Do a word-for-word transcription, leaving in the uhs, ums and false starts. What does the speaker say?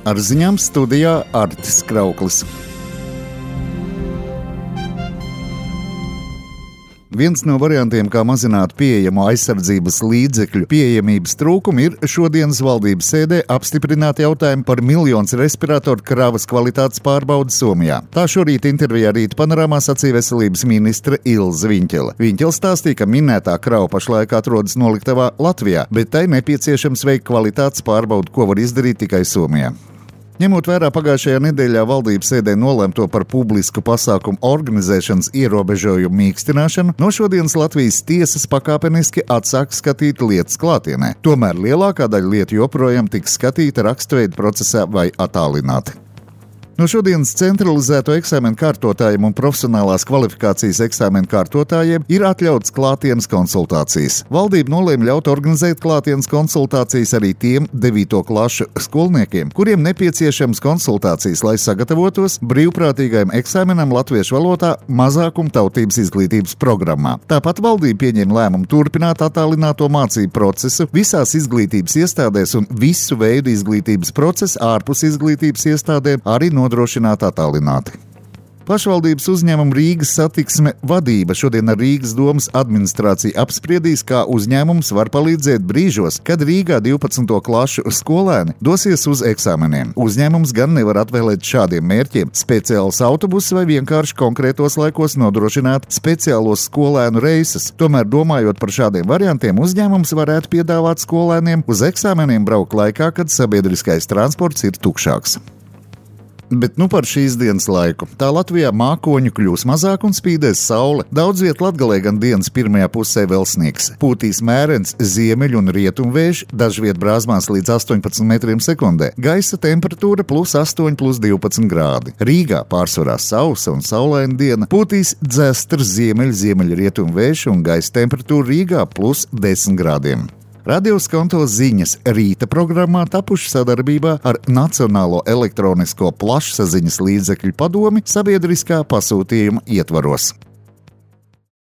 Ar ziņām studijā Artis Krauklis. Viens no variantiem, kā mazināt pieejamo aizsardzības līdzekļu pieejamības trūkumu, ir šodienas valdības sēdē apstiprināt jautājumu par miljonus respiratoru kravas kvalitātes pārbaudi Somijā. Tā šorīt intervijā Rīta panorāmā sacīja veselības ministre Ilze Viņķele. Viņķele stāstīja, ka minētā krava pašlaik atrodas noliktavā Latvijā, bet tai nepieciešams veikt kvalitātes pārbaudi, ko var izdarīt tikai Somijā. Ņemot vērā pagājušajā nedēļā valdības sēdē nolemto par publisku pasākumu organizēšanas ierobežojumu mīkstināšanu, no šodienas Latvijas tiesas pakāpeniski atsāk skatīt lietas klātienē. Tomēr lielākā daļa lietu joprojām tiks skatīta raksturveida procesā vai attālināti. No šodienas centralizēto eksāmenu kārtotājiem un profesionālās kvalifikācijas eksāmenu kārtotājiem ir atļautas klātienes konsultācijas. Valdība nolēma ļaut organizēt klātienes konsultācijas arī tiem devīto klašu skolniekiem, kuriem nepieciešams konsultācijas, lai sagatavotos brīvprātīgajam eksāmenam latviešu valodā mazākumtautības izglītības programmā. Tāpat valdība pieņēma lēmumu turpināt attālināto mācību procesu visās izglītības iestādēs un visu veidu izglītības procesu ārpus izglītības iestādēm arī no nodrošināt attālināti. Pašvaldības uzņēmuma Rīgas satiksme vadība šodien ar Rīgas domas administrāciju apspriedīs, kā uzņēmums var palīdzēt brīžos, kad Rīgā divpadsmito klašu skolēni dosies uz eksāmeniem. Uzņēmums gan nevar atvēlēt šādiem mērķiem speciālus autobusus vai vienkārši konkrētos laikos nodrošināt speciālos skolēnu reisus. Tomēr, domājot par šādiem variantiem, uzņēmums varētu piedāvāt skolēniem uz eksāmeniem braukt laikā, kad sabiedriskais transports ir tukšāks. Bet nu par šīs dienas laiku. Tā Latvijā mākoņu kļūs mazāk un spīdēs saule. Daudz viet Latgalē gan dienas pirmajā pusē vēl sniegs. Pūtīs mērens ziemeļu un rietumu vējš, dažviet brāzmās līdz astoņpadsmit metriem sekundē. Gaisa temperatūra plus astoņi, plus divpadsmit grādi. Rīgā pārsvarā sausa un saulaina diena. Pūtīs dzestrs ziemeļu, ziemeļu rietumu vējš un gaisa temperatūra Rīgā plus desmit grādiem. Radio Skonto ziņas rīta programmā tapuši sadarbībā ar Nacionālo elektronisko plašsaziņas līdzekļu padomi sabiedriskā pasūtījuma ietvaros.